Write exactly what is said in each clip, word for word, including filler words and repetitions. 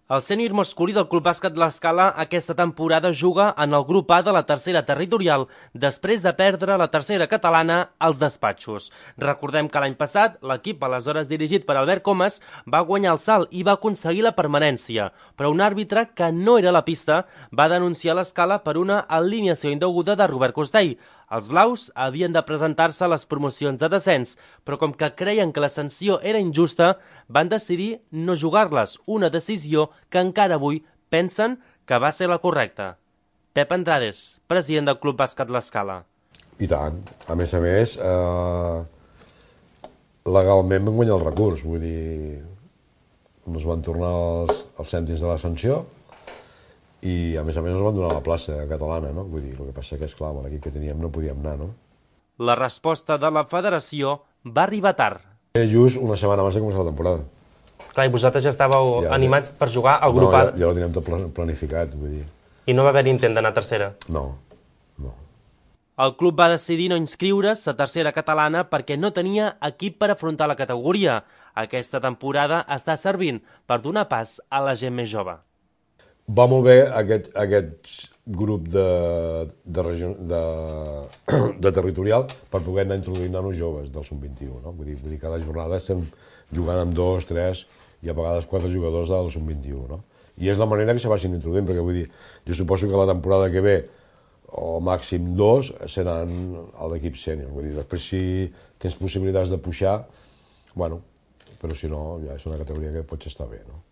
El sènior masculí del Club Bàsquet L'Escala aquesta temporada juga en el grup A de la tercera territorial després de perdre la tercera catalana als despatxos. Recordem que l'any passat l'equip, aleshores dirigit per Albert Comas, va guanyar el salt i va aconseguir la permanència, però un àrbitre que no era a la pista va denunciar l'Escala per una alineació indeguda de Robert Costell. Els blaus havien de presentar-se a les promocions de descens, però com que creien que la sanció era injusta, van decidir no jugar-les, una decisió que encara avui pensen que va ser la correcta. Pep Andrades, president del Club Bàsquet L'Escala. I tant. A més a més, eh, legalment vam guanyar el recurs, vull dir, ens van tornar els, els cèntims de la sanció i a més a més ens van donar la plaça catalana, no? Vull dir, el que passa que, esclar, amb l'equip que teníem no podíem anar, no? La resposta de la federació va arribar tard. Era just una setmana abans de començar la temporada. Clar, i vosaltres ja estàveu Ja, animats per jugar al grup No, A. ja, ja ho teníem tot pla- planificat, vull dir. I no va haver intent d'anar a tercera. No, no. El club va decidir no inscriure's a tercera catalana perquè no tenia equip per afrontar la categoria. Aquesta temporada està servint per donar pas a la gent més jove. Va molt bé aquest, aquest grup de, de, region, de, de territorial per poder anar introduint nanos joves del sub vint-i-u, no? Vull dir, vull dir, cada jornada estem jugant amb dos, tres i a vegades quatre jugadors del sub vint-i-u, no? I és la manera que se vagin introduint, perquè vull dir, jo suposo que la temporada que ve, o màxim dos, seran a l'equip sènior. Vull dir, després si tens possibilitats de pujar, bueno, però si no, ja és una categoria que pots estar bé, no?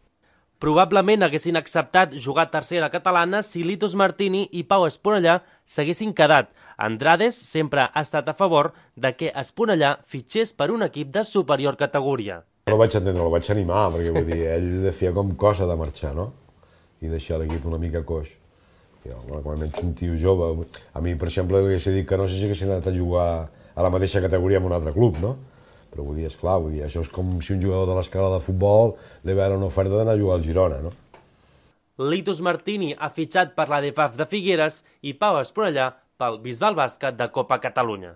Probablement haguessin acceptat jugar a tercera catalana si Litos Martini i Pau Esponellà s'haguessin quedat. Andrades sempre ha estat a favor de que Esponellà fitxés per un equip de superior categoria. No el vaig entendre, el vaig animar, perquè vull dir, ell feia com cosa de marxar, no? I deixar l'equip una mica coix. I, bueno, quan ets un tio jove, a mi, per exemple, li hagués dit que no sé si haguessin anat a jugar a la mateixa categoria en un altre club, no? Però vull dir, esclar, vull dir, això és com si un jugador de l'Escala de futbol li va una oferta d'anar a jugar al Girona, no? Litos Martini ha fitxat per la D F A F de Figueres i Pau Esponellà pel Bisbal Bàsquet de Copa Catalunya.